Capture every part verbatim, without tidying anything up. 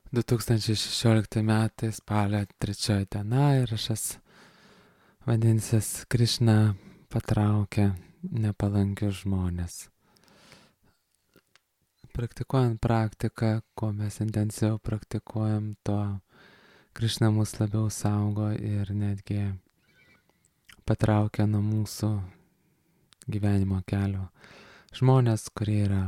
du tūkstančiai šešiolikti metai spalio trečioji diena įrašas vadinsis Krišna patraukia nepalankius žmonės. Praktikuojant praktiką, kuo mes intensyviau praktikuojam, tuo Krišna mus labiau saugo ir netgi patraukia nuo mūsų gyvenimo kelio žmonės, kurie yra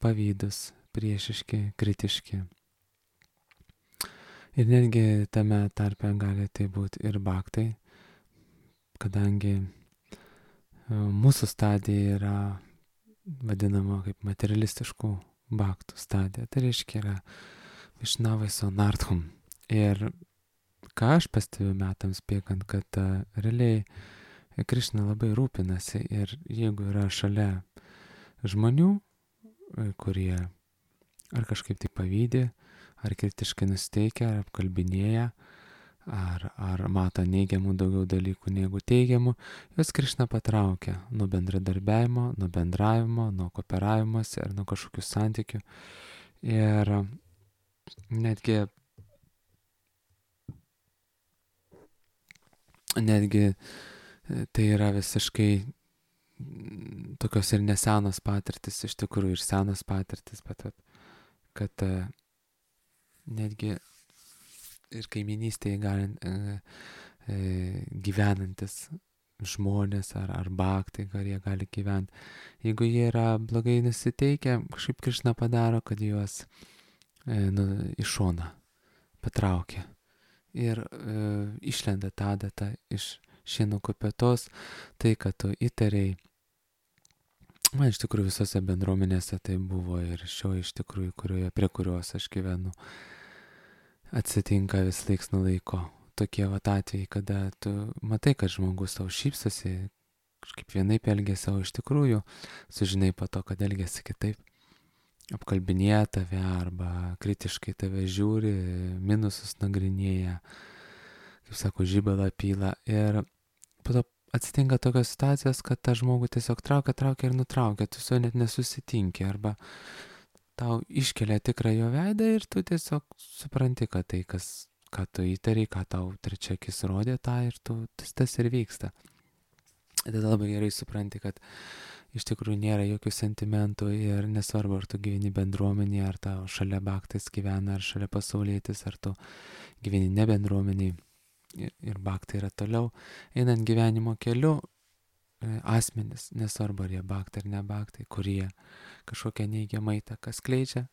pavydus, priešiški, kritiški. Ir netgi tame tarpe gali tai būti ir bhaktai, kadangi mūsų stadija yra vadinama kaip materialistiškų bhaktų stadija. Tai reiškia yra Višnavai sonarthum. Ir ką aš pastebiu metams bėgant, kad uh, realiai Krišna labai rūpinasi ir jeigu yra šalia žmonių, kurie ar kažkaip tai pavydi, ar kritiškai nusteikia, ar apkalbinėja, ar, ar mato neigiamų daugiau dalykų negu teigiamų, jos Krišna patraukia nuo bendradarbiavimo, nuo bendravimo, nuo kooperavimosi ar nuo kažkokių santykių. Ir netgi, netgi tai yra visiškai tokios ir nesenos patirtis, iš tikrųjų ir senos patirtis, bet kad netgi ir kaiminystėje gali, e, e, gyvenantis žmonės ar, ar bhaktai, ar jie gali gyventi. Jeigu jie yra blogai nusiteikę, kažkaip Krišna padaro, kad juos e, nu, iš šoną patraukia. Ir e, išlenda tą datą iš šieno kupetos, tai, kad tu įtariai. Man iš tikrųjų visose bendruomenėse tai buvo ir šio iš tikrųjų, kurioje, prie kurios aš gyvenu, atsitinka vis laiks nuo laiko. Tokie vat atvejai, kada tu matai, kad žmogus tau šypsosi, kažkaip vienaip elgėsi, o iš tikrųjų sužinai po to, kad elgėsi kitaip. Apkalbinėja tave arba kritiškai tave žiūri, minusus nagrinėja, kaip sako, žibalą pyla. Ir po to atsitinka tokios situacijos, kad tą žmogų tiesiog traukia, traukia ir nutraukia, tu su juo net nesusitinki, arba tau iškelia tikrą jo veidą ir tu tiesiog supranti, kad tai, kas, ką tu įtariai, ką tau trečiakis rodė, tą ir tu, tas, tas ir vyksta. Tada labai gerai supranti, kad iš tikrųjų nėra jokių sentimentų ir nesvarbu, ar tu gyveni bendruomenėje, ar tau šalia bhaktais gyvena, ar šalia pasaulietis, ar tu gyveni ne bendruomeniai. Ir, ir bhaktai yra toliau, einant gyvenimo keliu, e, asmenis, nesvarbu ar jie bhaktai ar ne bhaktai, kurie kažkokią neigiamą įtaką skleidžia,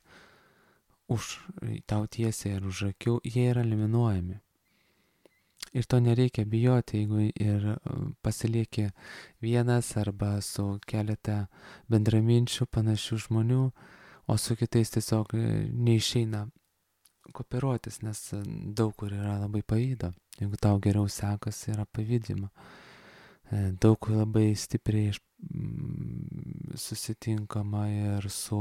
už tau tiesiai ir už akių, jie yra eliminuojami. Ir to nereikia bijoti, jeigu ir pasilieki vienas arba su keletą bendraminčių panašių žmonių, o su kitais tiesiog neišeina kooperuotis, nes daug kur yra labai pavydo. Jeigu tau geriau sekasi, yra pavydima. Daug kur labai stipriai susitinkama ir su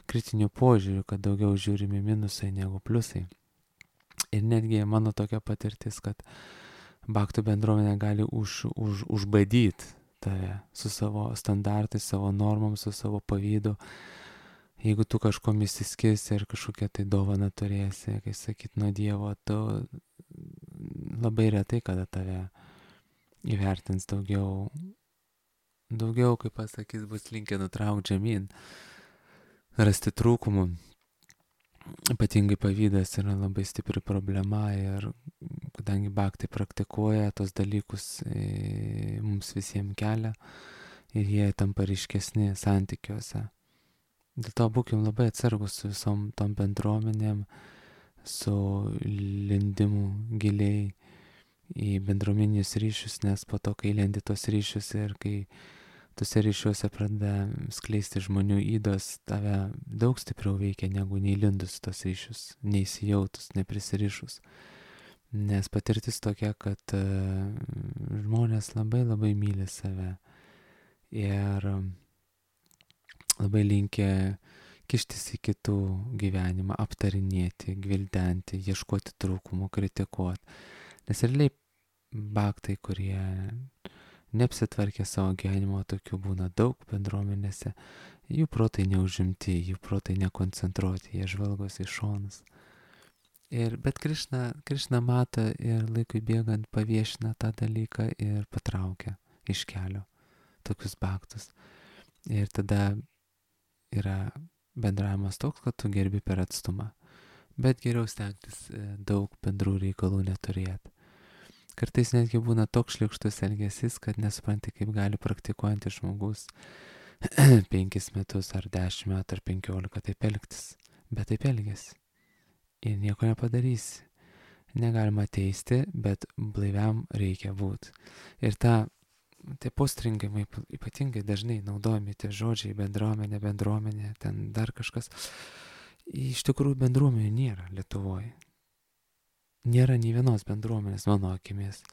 kritiniu požiūriu, kad daugiau žiūrimi minusai negu pliusai. Ir netgi mano tokia patirtis, kad bhaktų bendruomenė gali už, už, užbadyti tave su savo standartais, savo normom, su savo pavydu. Jeigu tu kažkom įsiskirsi ir kažkokią tai dovaną turėsi, kai sakyt, nuo Dievo, tu labai retai kada tave įvertins daugiau, daugiau, kaip pasakys, bus linkę nutraukti žemyn, rasti trūkumų. Ypatingai pavydas yra labai stipri problema ir kadangi bhaktai praktikuoja tos dalykus, e, mums visiems kelia ir jie tampa ryškesni santykiuose. Dėl to būkim labai atsargus su visom tom bendruomenėm, su lindimu giliai į bendruomeninius ryšius, nes po to, kai lendi tos ryšius ir kai tose ryšiuose pradeda skleisti žmonių ydos, tave daug stipriau veikia negu neįlindus tos ryšius, neįsijautus, neprisirišus. Nes patirtis tokia, kad uh, žmonės labai labai myli save ir labai linkę kištis į kitų gyvenimą, aptarinėti, gvildenti, ieškoti trūkumų, kritikuoti. Nes realiai bhaktai, kurie neapsitvarkė savo gyvenimo, tokių būna daug bendruomenėse, jų protai neužimti, jų protai nekoncentruoti, jie žvalgosi į šonus. Ir, bet Krišna, Krišna mato ir laikui bėgant paviešina tą dalyką ir patraukia iš kelio tokius baktus. Ir tada yra bendravimas toks, kad tu gerbi per atstumą. Bet geriau stengtis daug bendrų reikalų neturėti. Kartais netgi būna toks šlykštus elgesys, kad nesupranti, kaip gali praktikuojantis žmogus penkis metus ar dešimt metų ar penkiolika taip elgtis. Bet taip elgesi. Ir nieko nepadarysi. Negalima teisti, bet blaiviam reikia būti. Ir ta, tie postringimai ypatingai dažnai naudojami tie žodžiai bendruomenė, bendruomenė, ten dar kažkas. Iš tikrųjų bendruomenių nėra Lietuvoje. Nėra nei vienos bendruomenės mano akimis.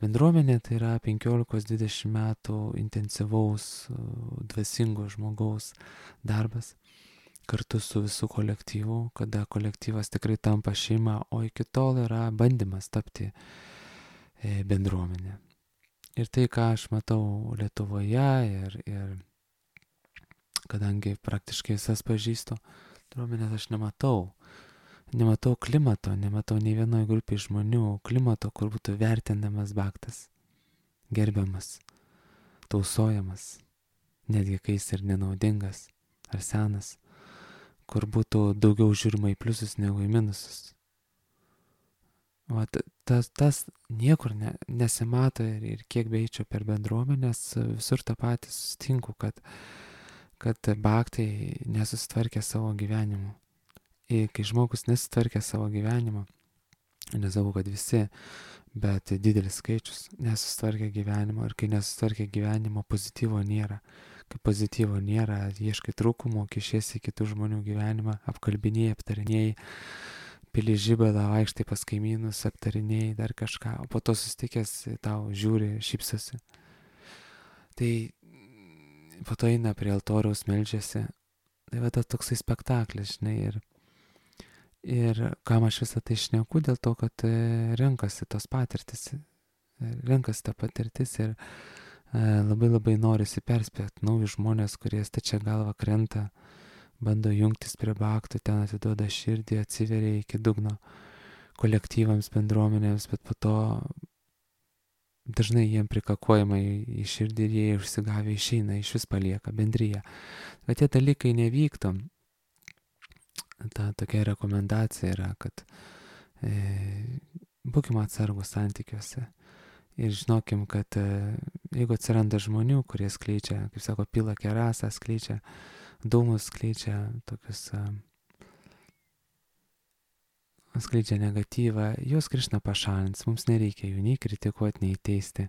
Bendruomenė tai yra penkiolikos dvidešimt metų intensyvaus, dvasingo žmogaus darbas kartu su visų kolektyvu, kada kolektyvas tikrai tampa šeima, o iki tol yra bandymas tapti bendruomenė. Ir tai, ką aš matau Lietuvoje ir, ir kadangi praktiškai visas pažįstu, bendruomenės aš nematau. Nematau klimato, nematau nei vienoje grupėje žmonių klimato, kur būtų vertinamas baktas, gerbiamas, tausojamas, netgi kai jis ir nenaudingas ar senas, kur būtų daugiau žiūrima į pliusus negu į minusus. O tas, tas niekur ne, nesimato ir, ir kiek beičiau per bendruomenės, visur tą patį sustinku, kad, kad baktai nesusitvarkė savo gyvenimu. Ir kai žmogus nesitvarkė savo gyvenimą, nesakau, kad visi, bet didelis skaičius nesusitvarkė gyvenimo, ir kai nesusitvarkė gyvenimo, pozityvo nėra. Kai pozityvo nėra, ieškai trūkumų, kišiesi į kitų žmonių gyvenimą, apkalbinėjai, aptarinėjai, pili žibelą, vaikštai pas kaimynus, aptarinėjai dar kažką, o po to susitikęs tau žiūri, šypsosi. Tai po to eina prie altoriaus, meldžiasi. Tai va tas toksai spektaklis, žinai, ir Ir kam aš visą tai šneku, dėl to, kad renkasi tos patirtis, renkasi tą patirtis ir labai labai norisi perspėti naujus žmonės, kurie stačia galva krenta, bando jungtis prie baktų, ten atiduoda širdį, atsiveria iki dugno kolektyvams, bendruomenėms, bet po to dažnai jiem prikakuojama į, į širdį ir jie užsigavę išeina, iš vis palieka bendryje. Bet tie dalykai nevyktų. Ta tokia rekomendacija yra, kad e, būkime atsargus santykiuose ir žinokim, kad e, jeigu atsiranda žmonių, kurie skleidžia, kaip sako, pila kerasą, skleidžia dūmus, skleidžia tokius, e, skleidžia negatyvą, juos Krišna pašalins, mums nereikia jų nei kritikuoti, nei teisti,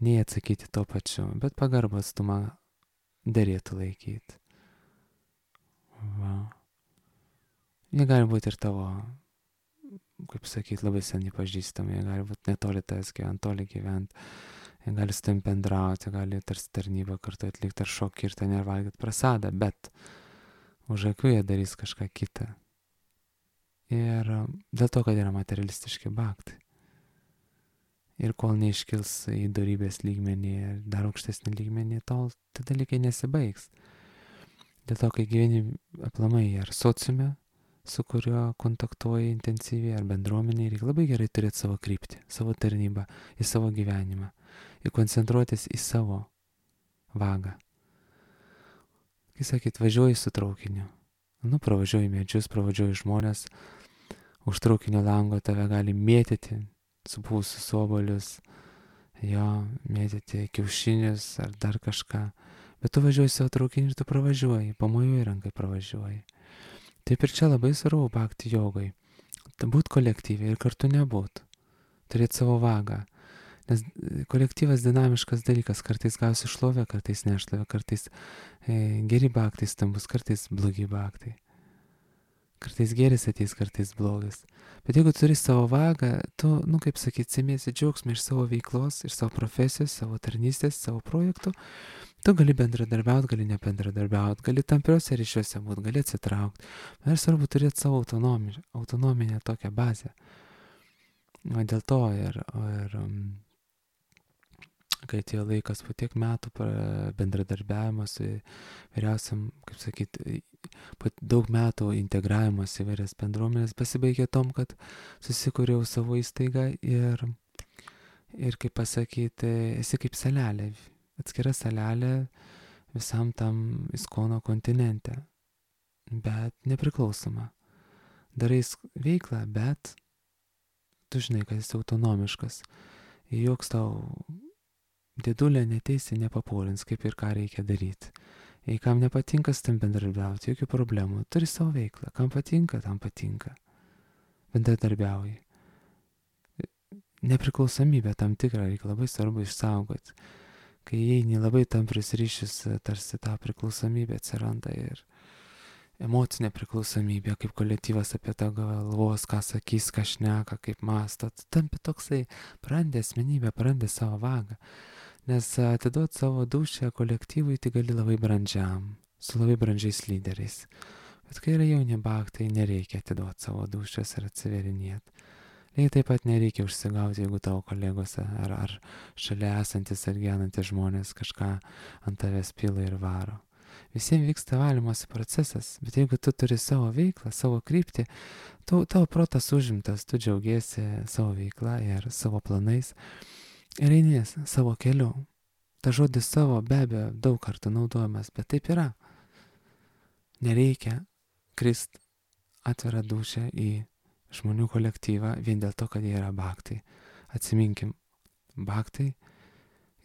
nei atsakyti to pačiu, bet pagarbą atstumą derėtų laikyti. Va. Jie gali būti ir tavo, kaip sakyti, labai seniai pažįstami, jie gali būti netoli tas gyvent, toli gyvent, jie gali su tam bendrauti, jie gali tarsi tarnybą kartu atlikti ar šokį ir ten ir valgyti prasadą, bet už akių jie darys kažką kitą. Ir dėl to, kad yra materialistiški baktai. Ir kol neiškils į dorybės lygmenį ir dar aukštesnį lygmenį, tol tie dalykai nesibaigs. Dėl to, kai gyveni aplamai ar sociume, su kuriuo kontaktuoji intensyviai, ar bendruomenėje, reikia labai gerai turėti savo kryptį, savo tarnybą, į savo gyvenimą ir koncentruotis į savo vagą. Kai sakyt, važiuoji su traukiniu, nu, pravažiuoji medžius, pravažiuoji žmonės, už traukinio lango tave gali mėtyti supūsius obuolius, jo, mėtyti kiaušinius ar dar kažką, bet tu važiuoji savo traukiniu ir tu pravažiuoji, pamojuoji rankai pravažiuoji. Taip ir čia labai svarbu bakti jogai. Būt kolektyviai ir kartu nebūt. Turėti savo vagą. Nes kolektyvas dinamiškas dalykas. Kartais gausi šlovę, kartais nešlovę, kartais e, geri baktai stambus, kartais blogi baktai. Kartais geris ateis, kartais blogas. Bet jeigu turi savo vagą, tu, nu kaip sakyti, semiesi džiaugsmą iš savo veiklos, iš savo profesijos, savo tarnystės, savo projektų. Tu gali bendradarbiauti, gali nebendradarbiauti, gali tampriuose ryšiuose būti, gali atsitraukti. Ir svarbu turėti savo autonomiją, autonominę tokią bazę. O dėl to ir, ir kai atėjo laikas po tiek metų bendradarbiavimo su vyriausiam, kaip sakyti, po daug metų integravimas į vairias bendruomenės pasibaigė tom, kad susikūriau savo įstaigą ir, ir kaip pasakyti, esi kaip salelė, atskira salelė visam tam Iskono kontinente, bet nepriklausoma. Darai veiklą, bet tu žinai, kad esi autonomiškas. Joks tau dėdulė neteisi, nepapulins, kaip ir ką reikia daryti. Jei kam nepatinka su tam bendradarbiauti, jokių problemų. Turi savo veiklą. Kam patinka, tam patinka. Bendradarbiauji. Nepriklausomybę tam tikrą reikia labai svarbu išsaugoti. Kai įeini labai tamprius ryšius, tarsi ta priklausomybė atsiranda ir emocinė priklausomybė, kaip kolektyvas apie tą galvos, ką sakys, ką šneka, kaip mąsto. Tampi toksai, prarandi asmenybę, prarandi savo vagą. Nes atiduoti savo dūšią kolektyvui tai gali labai brandžiam, su labai brandžiais lyderiais. Bet kai yra jauni baktai, nereikia atiduoti savo dūšios ir atsiverinėti. Lygiai taip pat nereikia užsigauti, jeigu tavo kolegos ar, ar šalia esantis ar gyvenantis žmonės kažką ant tavęs pila ir varo. Visiems vyksta valymosi procesas, bet jeigu tu turi savo veiklą, savo kryptį, tu, tavo protas užimtas, tu džiaugiesi savo veiklą ir savo planais ir eini savo keliu. Ta žodis savo be abejo daug kartų naudojamas, bet taip yra. Nereikia krist atvirą dūšią į žmonių kolektyvą vien dėl to, kad jie yra baktai. Atsiminkim, baktai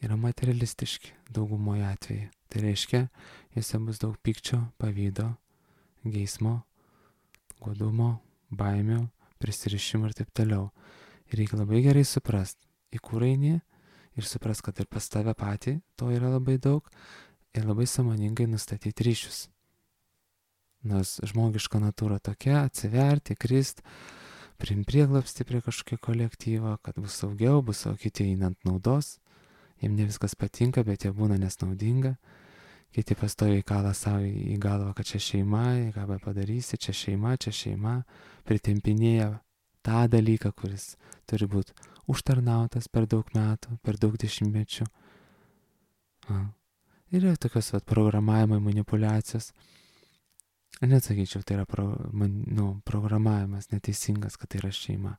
yra materialistiški daugumoje atveju. Tai reiškia, juose bus daug pykčio, pavydo, geismo, godumo, baimių, prisirišimų ir taip toliau. Ir reikia labai gerai suprast, į kur eini ir suprast, kad ir pas tave patį to yra labai daug ir labai sąmoningai nustatyti ryšius. Nors žmogiška natūra tokia, atsiverti, krist, priimti prieglapstį prie kažkokio kolektyvo, kad bus saugiau, bus savo kiti einant naudos. Jiems ne viskas patinka, bet jie būna nesnaudinga. Kiti pastoviai kala savo į galvą, kad čia šeima, ką be padarysi, čia šeima, čia šeima. Pritempinėja tą dalyką, kuris turi būti užtarnautas per daug metų, per daug dešimtmečių. Ir yra tokios vat, programavimo manipulacijos. Net sakyčiau, tai yra pro, man, nu, programavimas neteisingas, kad tai yra šeima.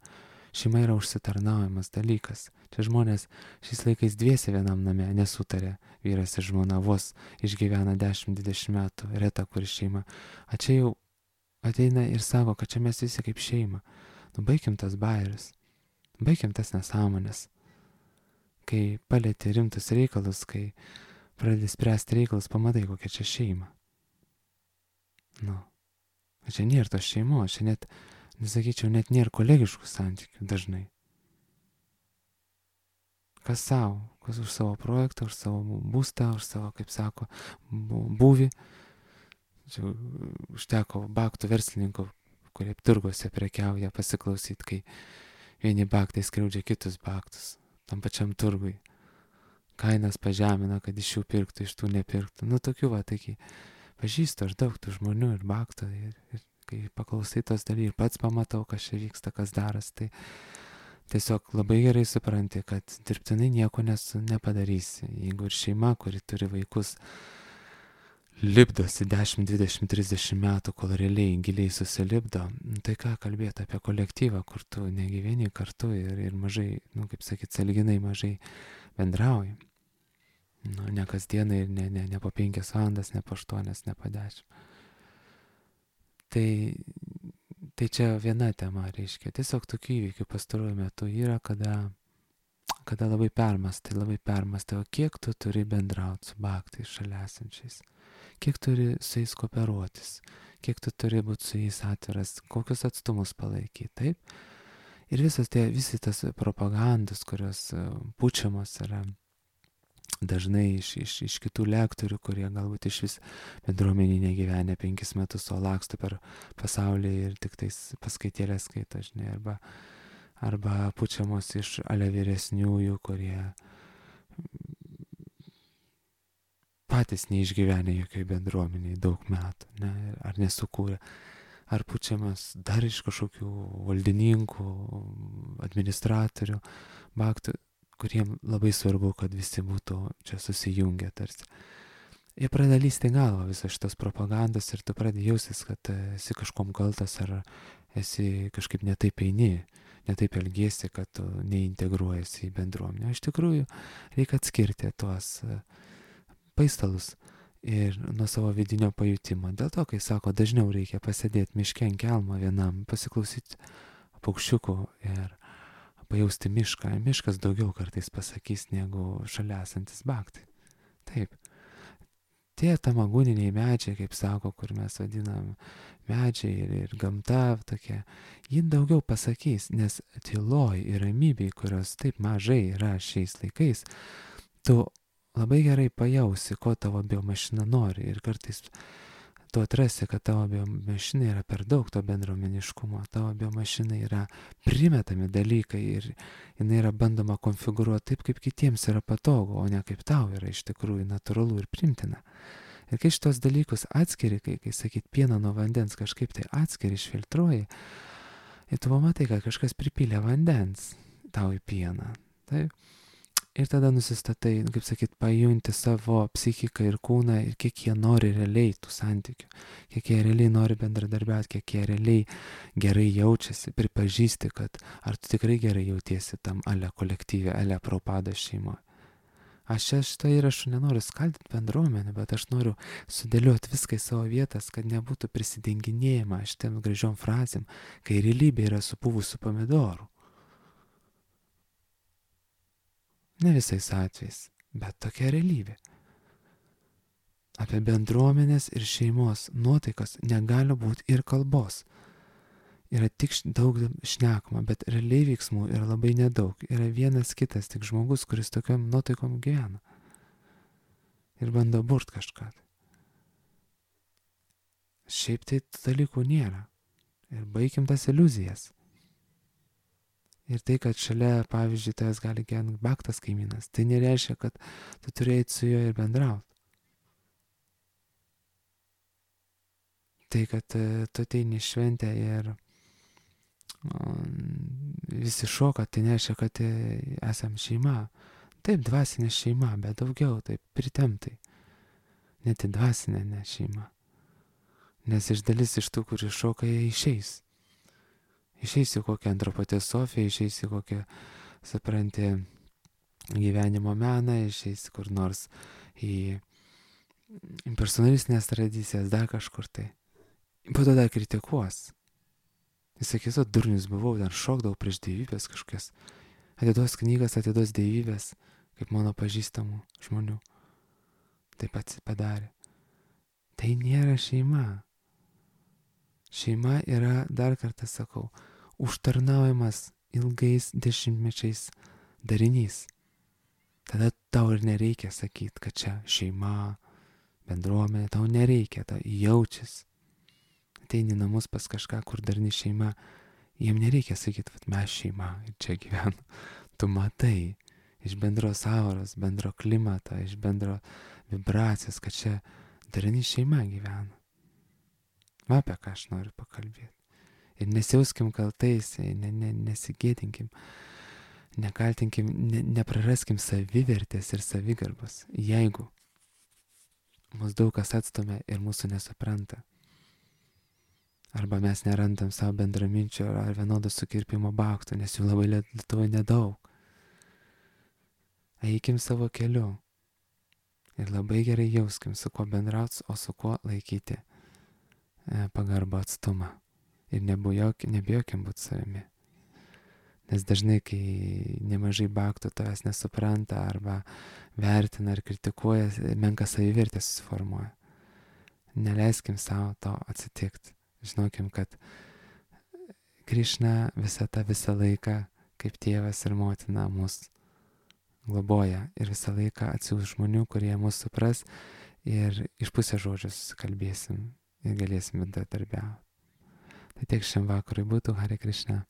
Šeima yra užsitarnaujamas dalykas. Čia žmonės šiais laikais dviese vienam name nesutarė, vyras ir žmona vos išgyvena dešimt dvidešimt metų, reta kuri šeima. A čia jau ateina ir sako, kad čia mes visi kaip šeima. Nu, baigim tas bairius, baigim tas nesąmonės. Kai palieti rimtus reikalus, kai pradedi spręsti reikalus, pamatai, kokia čia šeima. Nu, čia nėra tos šeimos, čia net, nesakyčiau, net nėra kolegiškų santykių dažnai. Kas savo, kas už savo projektą, už savo būstą, už savo, kaip sako, būvį. Čia užteko baktų verslininkų, kurie turguose prekiauja, pasiklausyti, kai vieni baktai skriaudžia kitus baktus, tam pačiam turgui. Kainas pažemina, kad iš jų pirktų, iš tų nepirktų. Nu, tokių va, taigi. Pažįstu aš daug tų žmonių ir baktų ir, ir kai paklausai tos daly ir pats pamatau, kas čia vyksta, kas daras, tai tiesiog labai gerai supranti, kad dirbtinai nieko nesu, nepadarysi. Jeigu ir šeima, kuri turi vaikus, lipdosi dešimt, dvidešimt, trisdešimt metų, kol realiai giliai susilipdo, tai ką kalbėti apie kolektyvą, kur tu negyveni kartu ir, ir mažai, nu kaip sakyt, sąlyginai mažai bendrauji. Nu, ne kasdieną ir ne, ne, ne po penkias valandas, ne po aštuonias, ne po dešimt. Tai, tai čia viena tema, reiškia. Tiesiog tokių įvykių pastaruoju metu yra, kada, kada labai permastai, labai permastai, o kiek tu turi bendrauti su baktais šalia esančiais, kiek turi su jais kooperuotis, kiek tu turi būti su jais atviras, kokius atstumus palaikyti, taip? Ir visas tie, visi tas propagandos, kurios pučiamos yra, dažnai iš, iš, iš kitų lektorių, kurie galbūt iš vis bendruomenį negyvenę penkis metus, o laksto per pasaulį ir tik tais paskaitėlės skaito, žinai, arba, arba pučiamos iš ale vyresniųjų, kurie patys neišgyvenę jokioj bendruomeniai daug metų, ne, ar nesukūrė, ar pučiamas dar iš kažkokių valdininkų, administratorių, baktų, kuriem labai svarbu, kad visi būtų čia susijungę tarsi. jie pradeda lysti į galvą visos šitos propagandos ir tu pradedi jaustis, kad esi kažkom kaltas ar esi kažkaip netaip eini, netaip elgiesi, kad tu neintegruojasi į bendruomenę. Iš tikrųjų, reikia atskirti tuos paistalus ir nuo savo vidinio pajutimo. Dėl to, kai sako, dažniau reikia pasėdėti miške ant kelmo vienam, pasiklausyti paukščiukų ir pajausti mišką. Miškas daugiau kartais pasakys negu šalia esantis baktai. Taip. Tie tamagūniniai medžiai, kaip sako, kur mes vadinam medžiai ir, ir gamta tokia, ji daugiau pasakys, nes tyloj ir ramybėj, kurios taip mažai yra šiais laikais, tu labai gerai pajausi, ko tavo biomašina nori ir kartais tu atrasi, kad tavo biomašina yra per daug to bendruomeniškumo, tavo biomašina yra primetami dalykai ir jinai yra bandoma konfigūruoti taip, kaip kitiems yra patogu, o ne kaip tau yra iš tikrųjų natūralu ir primtina. Ir kai šitos dalykus atskiri, kai, kai sakyt, pieną nuo vandens kažkaip tai atskiri, išfiltruoji, ir tu pamatai, kad kažkas pripylė vandens tau į pieną. Taip. Ir tada nusistatai, kaip sakyt, pajunti savo psichiką ir kūną ir kiek jie nori realiai tų santykių, kiek jie realiai nori bendradarbiauti, kiek jie realiai gerai jaučiasi, pripažįsti, kad ar tu tikrai gerai jautiesi tam ale kolektyve, ale propados šeimoje. Aš čia šitą įrašų nenoriu skaldyti bendruomenę, bet aš noriu sudėlioti viską į savo vietas, kad nebūtų prisidenginėjama šitiem gražiom frazėm, kai realybė yra supūvusių pomidorų. Ne visais atvejais, bet tokia realybė. Apie bendruomenės ir šeimos nuotaikas negali būti ir kalbos. Yra tik daug šnekama, bet realiai veiksmų yra labai nedaug. Yra vienas kitas, tik žmogus, kuris tokiam nuotaikom gyvena. Ir bando burt kažką. Šiaip tai dalykų nėra. Ir baigim tas iliuzijas. Ir tai, kad šalia, pavyzdžiui, tavęs gali gyventi baktas kaimynas, tai nereiškia, kad tu turėjai su juo ir bendrauti. Tai, kad tu ateini šventę ir visi šoka, tai nereiškia, kad esam šeima. Taip, dvasinė šeima, bet daugiau, taip, pritemtai. Net į dvasinę ne šeima. Nes iš dalis iš tų, kurie šoka, jie išeis. Išeis į kokią antropotesofiją, išeis į kokią, supranti, gyvenimo meną, išeis kur nors į impersonalistinės tradicijas, dar kažkur tai. Po to dar kritikuos. Jis sakys, o durnius buvau, dar šokdavau prieš dievybės kažkokias. Atiduos knygas, atiduos dievybės, kaip mano pažįstamų žmonių. Taip pat padarė. Tai nėra šeima. Šeima yra, dar kartą sakau, užtarnaujamas ilgais dešimtmečiais darinys. Tada tau ir nereikia sakyti, kad čia šeima, bendruomenė, tau nereikia, tau jaučiasi. Ateini namus pas kažką, kur darni šeima, jiem nereikia sakyti, kad mes šeima ir čia gyvenam. Tu matai iš bendros auros, bendro klimato, iš bendro vibracijos, kad čia darni šeima gyvena. Va, apie ką aš noriu pakalbėti. Ir nesijauskim kaltais, ne, ne, nesigėdinkim, nekaltinkim, ne, nepraraskim savivertės ir savigarbos, jeigu mus daug kas atstumia ir mūsų nesupranta. Arba mes nerandam savo bendraminčio ar vienodo sukirpimo baktų, nes jų labai Lietuvoje nedaug. Eikim savo keliu ir labai gerai jauskim, su kuo bendrauts, o su kuo laikyti pagarbą atstumą. Ir nebijokim būti savimi. Nes dažnai, kai nemažai baktų tavęs nesupranta arba vertina ar kritikuoja, menka savivertė susiformuoja. Neleiskim savo to atsitikti. Žinokim, kad Krišna visą tą visą laiką, kaip tėvas ir motina, mus globoja ir visą laiką atsiųs žmonių, kurie mus supras ir iš pusės žodžio susikalbėsim ir galėsim bendradarbiauti. Tai tiek šiam vakarui būtų. Hare Krishna.